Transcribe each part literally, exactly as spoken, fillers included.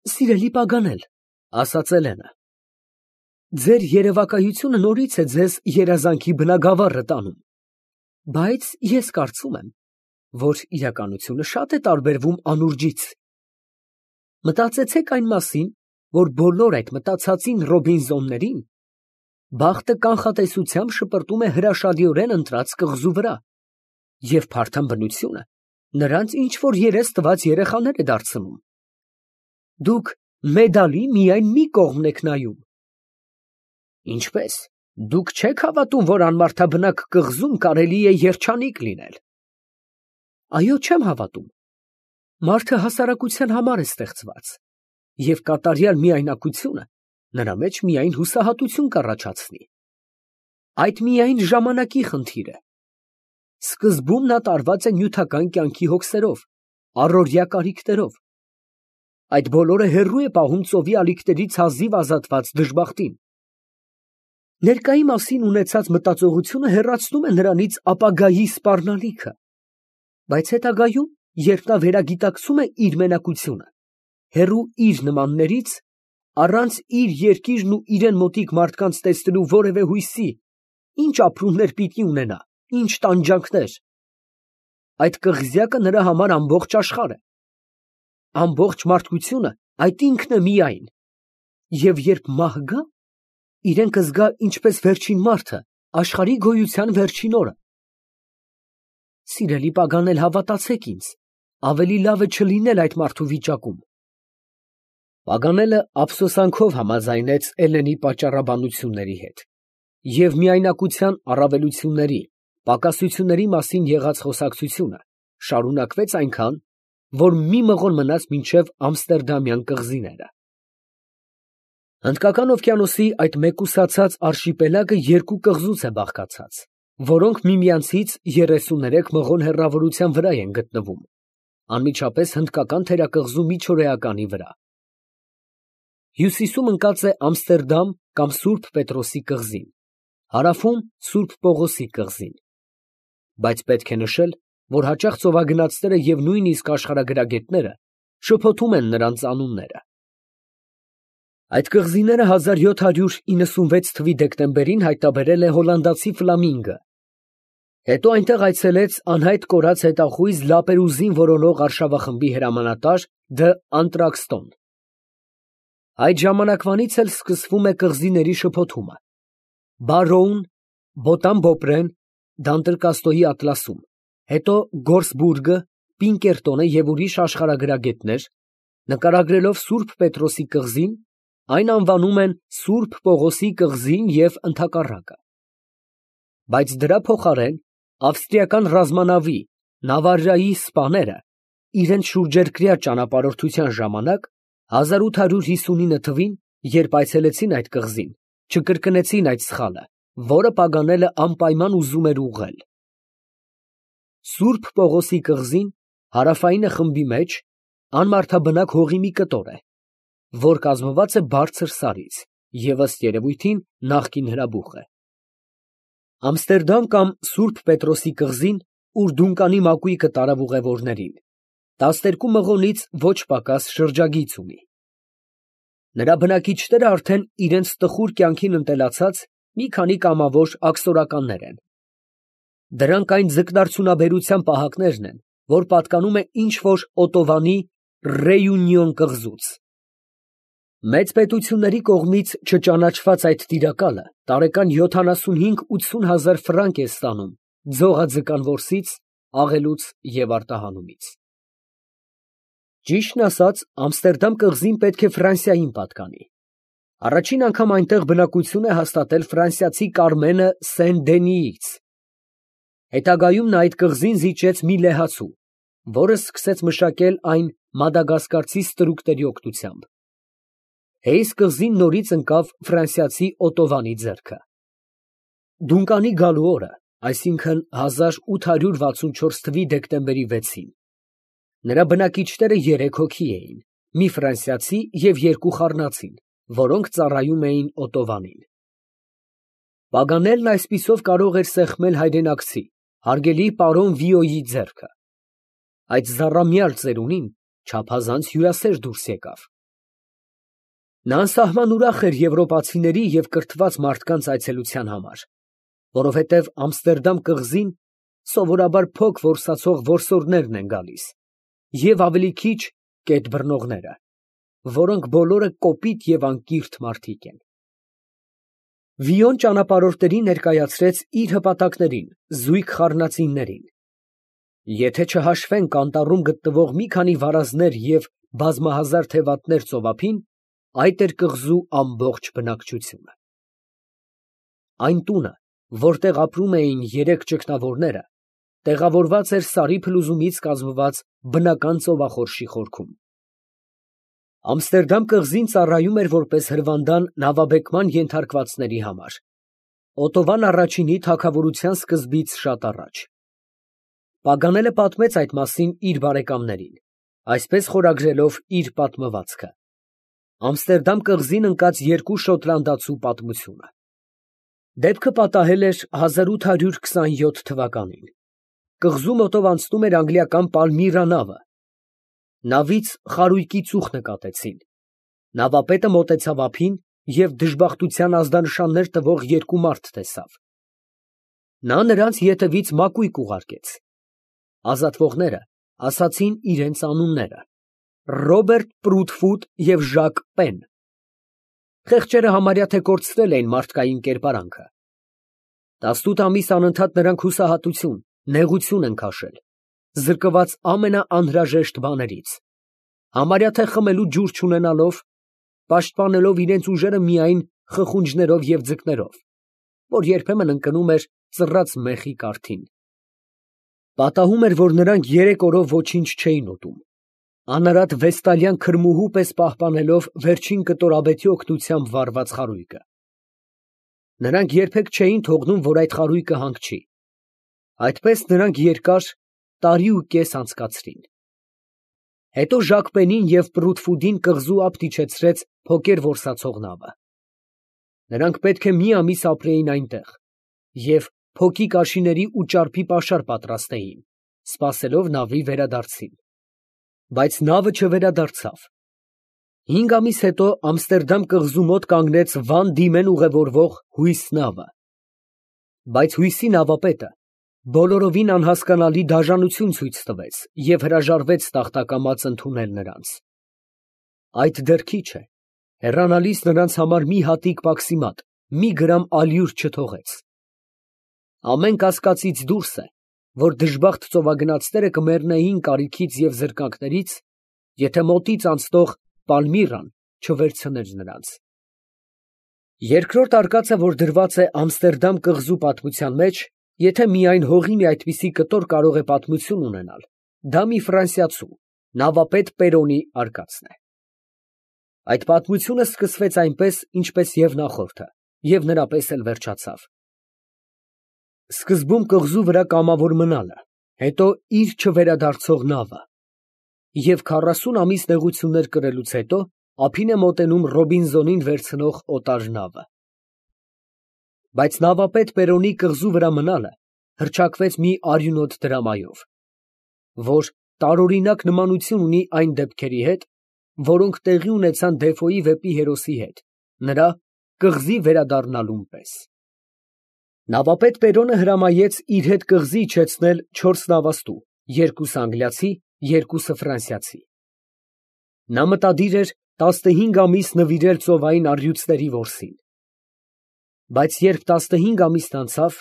Սիրելի Պագանել, ֊ ասաց Էլենը, ֊ ձեր երևակայությունը նորից է ձեզ երազանքի բնագավառը տանում, բայց ես կարծում եմ, որ իրականությունը շատ է տարբերվում անուրջից. մտածեցեք այն մասին, որ բոլոր այդ մտածածին Ռոբինզոններին բախտը կանխատեսությամբ շպրտում է հրաշալիորեն ընտրած կղզու վրա, և փարթամ բնությունը նրանց ինչ֊որ երես տված երեխաներ է դարձնում. դուք մեդալի միայն մի կողմն եք նայում։ Ինչպե՞ս, դուք չեք հավատում, որ անմարդաբնակ կղզում կարելի է երջանիկ լինել։ Այո, չեմ հավատում։ Մարդը հասարակության համար է ստեղծված, և կատարյալ միայնակությունը նրա մեջ միայն հուսահատություն կառաջացնի։ Այդ միայն ժամանակի խնդիր է։ Սկզբում նա տարված է նյութական կյանքի հոգսերով, առօրյա կարիքներով։ Այդ բոլորը հեռու է պահում ծովի ալիքներից հազիվ ազատված դժբախտին։ Ներկայի մասին ունեցած մտածողությունը հեռացնում է նրանից ապագայի սպառնալիքը, բայց հետագայում, երբ նա վերագիտակցում է իր մենակությունը, հեռու իր նմաններից, առանց իր երկիրն ու իրան մոտիկ մարդկանց տեսնելու որևէ հույսի, ինչ ապրումներ պիտի ունենա, ինչ տանջանքներ, այդ կղզյակը նրա համար ամբողջ աշխարհ է։ Ամբողջ մարդկությունը այդ ինքն է միայն, և երբ մահ գա, իրեն կզգա ինչպես վերջին մարդը աշխարհի գոյության վերջին օրը։ Սիրելի Պագանել, հավատացեք ինձ, ավելի լավ է չլինել այդ մարդու վիճակում։ Պագանելը ափսոսանքով համաձայնեց Էլենի պատճառաբանությունների հետ և միայնակության առավելությունների, պակասությունների մասին եղած խոսակցությունը շարունակվեց այնքան, որ մի մղոն մնաց մինչև ամստերդամյան կղզիները։ Հնդկական օվկիանոսի այդ մեկուսացած արշիպելագը երկու կղզուց է բաղկացած, որոնք միմյանցից երեսուներեք մղոն հեռավորության վրա են գտնվում, անմիջապես հնդկական թերակղզու միջօրեականի վրա։ Հյուսիսում ընկած է Ամստերդամ կամ Սուրբ Պետրոսի կղզին, հարավում Սուրբ Պողոսի կղզին։ Բայց պետք է նշել, որ հաճախ ծովագնացները և նույնիսկ աշխարհագրագետները շփոթում են նրանց անունները։ Այդ կղզիները հազար յոթ հարյուր իննսունվեց թվականի դեկտեմբերին հայտնաբերել է հոլանդացի Ֆլամինգը, հետո այնտեղ այցելեց անհայտ կորած հետախույզ Լապերուզին որոնող արշավախմբի հրամանատար Դ. Անտրաքստոն։ Այդ ժամանակվանից էլ սկսվում է կղզիների շփոթումը։ Բարոուն, Բոտան֊Բոպրեն, Դանտերկաստոյի ատլասում, հետո Գորսբուրգը, Պինկերտոնը և ուրիշ աշխարհագրագետներ, նկարագրելով Սուրբ Պետրոսի կղզին, այն անվանում են Սուրբ Պողոսի կղզին և ընդհակառակը։ Բայց դրա փոխարեն ավստրիական ռազմանավի Նավարայի սպաները իրենց շուրջերկրյա ճանապարհորդության ժամանակ հազար ութ հարյուր հիսունինը թվականին, երբ այցելեցին այդ կղզին, չկրկնեցին այդ սխալը, որը Պագանելը անպայման ուզում էր ուղղել։ Սուրբ Պողոսի կղզին հարավայինը խմբի մեջ անմարդաբնակ հողի մի կտոր է, որ կազմված է բարձր սարից և ըստ երևույթին նախկին հրաբուխ է։ Ամստերդամ կամ Սուրբ Պետրոսի կղզին, ուր Դունկանի մակույկը տարավ ուղևորներին, տասներկու մղոնից ոչ պակաս շրջագիծ ունի։ Նրա բնակիչները արդեն իրենց տխուր կյանքին ընտելացած մի քանի կամավոր աքսորականներ են։ Դրանք այն ձկնարդյունաբերության պահակներն են, որ պատկանում է ինչ֊որ Օտովանի Ռեյունիոն կղզուց։ Մեծ պետությունների կողմից չճանաչված այդ տիրակալը տարեկան յոթանասունհինգ֊ութսուն հազար ֆրանկ է ստանում ձողաձկան որսից, աղելուց և արտահանումից։ Ճիշտն ասած, Ամստերդամ կղզին պետք է Ֆրանսիային պատկանի։ Առաջին անգամ այնտեղ բնակություն է հաստատել ֆրանսիացի Կարմենը Սեն֊Դենիից։ Հետագայում նա այդ կղզին զիջեց մի լեհացու, որը սկսեց մշակել այն մադագասկարցի ստրուկների օգնությամբ։ Հեյս կղզին նորից ընկավ ֆրանսիացի Օտովանի ձեռքը։ Դունկանի գալու օրը, այսինքն հազար ութ հարյուր վաթսունչորս թվականի դեկտեմբերի վեցին, նրա բնակիչները երեք հոգի էին, մի ֆրանսիացի և երկու խառնածին, որոնք ծառայում էին Օտովանին։ Պագանելն այսպիսով կարող էր սեղմել հայրենակցի, հարգելի պարոն Վիոյի ձեռքը։ Այդ զառամյալ ծերունին չափազանց հյուրասեր դուրս եկավ։ Նա անսահման ուրախ էր եվրոպացիների և կրթված մարդկանց այցելության համար, որովհետև Ամստերդամ կղզին սովորաբար փոք որսացող որսորդներն են գալիս և ավելի քիչ կետ բռնողները, որոնք բոլորը կոպիտ և անկիրթ մարդիկ են։ Վիոն ճանապարհորդներին ներկայացրեց իր հպատակներին, զույգ խառնածիններին։ Եթե չհաշվենք անտառում գտնվող մի քանի վարազներ և բազմահազար թևատներ ծովափին, այդ էր կղզու ամբողջ բնակչությունը։ Այն տունը, որտեղ ապրում էին երեք ճգնավորները, տեղավորված էր սարի փլուզումից կազմված բնական ծովախորշի խորքում։ Ամստերդամ կղզին ծառայում էր որպես հրվանդան նավաբեկման ենթարկվածների համար, Օտովան առաջինի թագավորության սկզբից շատ առաջ։ Պագանելը պատմեց այդ մասին իր բարեկամներին, այսպես խորագրելով իր պատմվածքը. Ամստերդամ կղզին ընկած երկու շոտլանդացու պատմությունը։ Դեպքը պատահել էր հազար ութ հարյուր քսանյոթ թվականին։ Կղզու մոտով անցնում էր անգլիական Պալմիրա նավը։ Նավից խարույկի ծուխ նկատեցին։ Նավապետը մոտեցավ ափին և դժբախտության ազդանշաններ տվող երկու մարդ տեսավ։ Նա նրանց ետևից մակույկ ուղարկեց։ Ազատվողները ասացին իրենց անունները. Ռոբերտ Պրուդֆուտ և Ժակ Պեն։ Խեղճերը համարյա թե կորցրել էին մարդկային կերպարանքը։ Տասնութ ամիս անընդհատ նրանք հուսահատություն, նեղություն են քաշել, զրկված ամենաանհրաժեշտ բաներից, համարյա թե խմելու ջուր չունենալով, պաշտպանելով իրենց ուժերը միայն խխունջներով և ձկներով, որ երբեմն ընկնում էր ծռած մեխի կարթին։ Պատահում էր, որ նրանք երեք օրով ոչինչ չէին ուտում, անարատ վեստալյան քրմուհու պես պահպանելով վերջին կտորաբեթի օգնությամբ վառված խարույկը։ Նրանք երբեք չէին թողնում, որ այդ խարույկը հանգչի։ Այդպես նրանք երկար տարի ու կես անցկացրին։ Հետո Ժակ Պենին և Պրուդֆուտին կղզու ափ դիչեցրեց փոքր որսացող նավը։ Նրանք պետք է մի ամիս ապրեին այնտեղ և փոքի կաշիների ու ճարպի պաշար պատրաստեին, սպասելով նավի վերադարձին։ Բայց նավը չվերադարձավ։ Հինգ ամիս հետո Ամստերդամ կղզու մոտ կանգնեց վան դիմեն ուղևորվող հույս նավը։ Բայց հույսի նավապետը բոլորովին անհասկանալի դաժանություն ցույց տվեց և հրաժարվեց տախտակամած ընդունել նրանց։ Այդ դեռ քիչ է, հեռանալիս նրանց համար մի հատիկ պաքսիմատ, մի գրամ ալյուր չթողեց։ Ամեն կասկածից դուրս է, որ դժբախտ ծովագնացները կմեռնեին կարիքից և զրկանքներից, եթե մոտից անցնող Պալմիրան չվերցներ նրանց։ Երկրորդ արկածը, որ դրված է Ամստերդամ կղզու պատմության մեջ, եթե միայն հողի մի այդպիսի կտոր կարող է պատմություն ունենալ, դա մի ֆրանսիացու, նավապետ Պերոնի արկածն է։ Այդ պատմությունը սկսվեց այնպես, ինչպես և նախորդը, և նրա պես էլ վերջացավ։ Սկզբում կղզու վրա կամավոր մնալը, հետո իր չվերադարձող նավը, և քառասուն ամիս նեղություններ կրելուց հետո ափին է մոտենում Ռոբինզոնին վերցնող օտար նավը։ Բայց նավապետ Պերոնի կղզու վրա մնալը հռչակվեց մի արյունոտ դրամայով, որ տարօրինակ նմանություն ունի այն դեպքերի հետ, որոնք տեղի ունեցան Դեֆոյի վեպի հերոսի հետ, նրա կղզի վերադառնալուն պես։ Նավապետ Պերոնը հրամայեց իր հետ կղզի իջեցնել չորս նավաստու, երկուսը անգլիացի, երկուսը ֆրանսիացի։ Նա մտադիր էր տասնհինգ ամիս նվիրել ծովային առյուծների որսին։ Բայց երբ տասնհինգ ամիսն անցավ,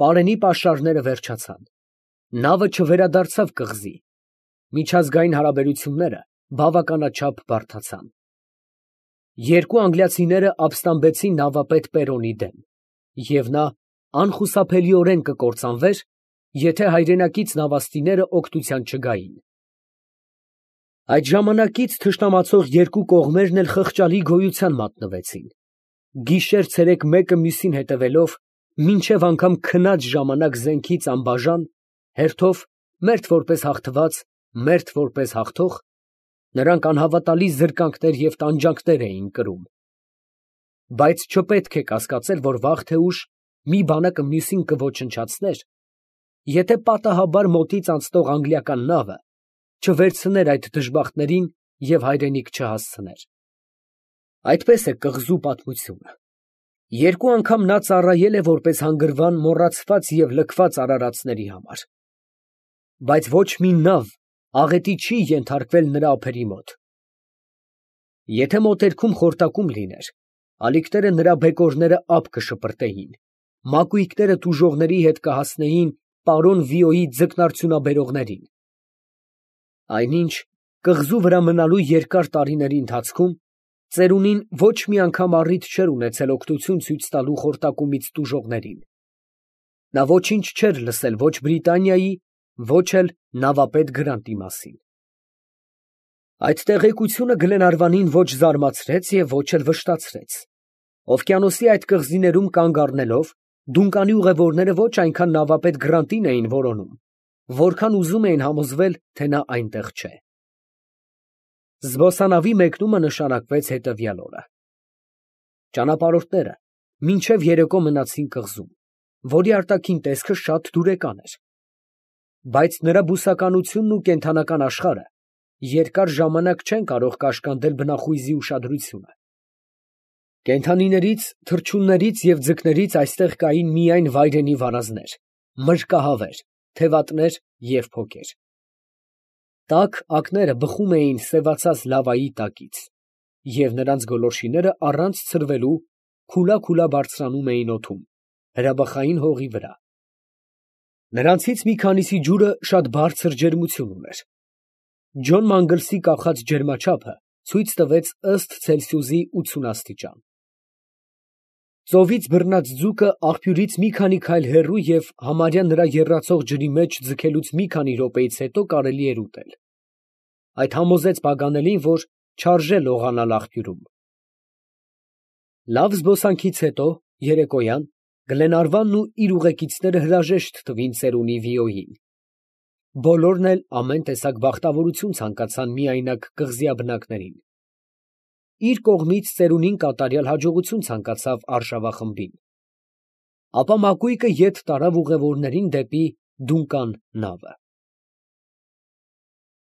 պարենի պաշարները վերջացան, նավը չվերադարձավ կղզի, միջազգային հարաբերությունները բավականաչափ բարդացան։ Երկու անգլիացիները ապստամբեցին նավապետ Պերոնի դեմ, և նա անխուսափելիորեն կկործանվեր, եթե հայրենակից նավաստիները օգնության չգային։ Այդ ժամանակից թշնամացող երկու կողմերն էլ խղճալի գոյության մատնվեցին, գիշեր֊ցերեկ մեկը մյուսին հետևելով, մինչև անգամ քնած ժամանակ զենքից անբաժան, հերթով մերթ որպես հաղթված, մերթ որպես հաղթող, նրանք անհավատալի զրկանքներ և տանջանքներ էին կրում։ Բայց չպետք է կասկածել, որ վաղ թե ուշ մի բանակը մյուսին կոչնչացներ, եթե պատահաբար մոտից անցնող անգլիական նավը չվերցներ այդ դժբախտներին և հայրենիք չհասցներ։ Այդպես է կղզու պատմությունը։ Երկու անգամ նա ծառայել է որպես հանգրվան մոռացված և լքված արարածների համար, բայց ոչ մի նավ աղետի չի ենթարկվել նրա ափերի մոտ։ Եթե մոտերքում խորտակում լիներ, ալիքները նրա բեկորները ափ կշպրտեին, մակույկները տուժողների հետ կհասնեին պարոն Վիոյի ձկնարդյունաբերողներին։ Այնինչ կղզու վրա մնալու երկար տարիների ընթացքում ծերունին ոչ մի անգամ առիթ չէր ունեցել օգնություն ցույց տալու խորտակումից տուժողներին։ Նա ոչինչ չէր լսել ոչ Բրիտանիայի, ոչ էլ նավապետ Գրանտի մասին։ Այդ տեղեկությունը Գլենարվանին ոչ զարմացրեց և ոչ էլ վշտացրեց։ Օվկիանոսի այդ կղզիներում կանգ առնելով, Դունկանի ուղևորները ոչ այնքան նավապետ Գրանտին էին որոնում, որքան ուզում էին համոզվել, թե նա այնտեղ չէ։ Զբոսանավի մեկնումը նշանակվեց հետևյալ օրը. ճանապարհորդները մինչև երեկո մնացին կղզում, որի արտաքին տեսքը շատ դուրեկան էր, բայց նրա բուսականությունն ու կենդանական աշխարհը երկար ժամանակ չեն կարող կաշկանդել բնախույզի ուշադրությունը։ Կենդանիներից, թռչուններից և ձկներից այստեղ կային միայն վայրենի վարազներ, մրրկահավեր, թևատներ և փոկեր։ Տաք ակները բխում էին սևացած լավայի տակից, և նրանց գոլորշիները առանց ցրվելու քուլա֊քուլա բարձրանում էին օդում, հրաբխային հողի վրա։ Նրանցից մի քանիսի ջուրը շատ բարձր ջերմություն ուներ։ Ջոն Մանգլսի կախած ջերմաչափը ցույց տվեց ըստ Ցելսիուսի ութուն աստիճան։ Ծովից բռնած ձուկը աղբյուրից մի քանի քայլ հեռու և համարյա նրա եռացող ջրի մեջ ձգելուց մի քանի րոպեից հետո կարելի էր ուտել։ Այդ համոզեց Պագանելին, որ չարժե լողանալ աղբյուրում։ Լավ զբոսանքից հետո, երեկոյան, Գլենարվանն ու իր ուղեկիցները հրաժեշտ տվին ծերունի Վիոյին։ Բոլորն էլ ամեն տեսակ բախտավորություն ցանկացան միայնակ կղզյա բնակներին։ Իր կողմից ծերունին կատարյալ հաջողություն ցանկացավ արշավախմբին։ Ապա մակույկը ետ տարավ ուղևորներին դեպի Դունկան նավը։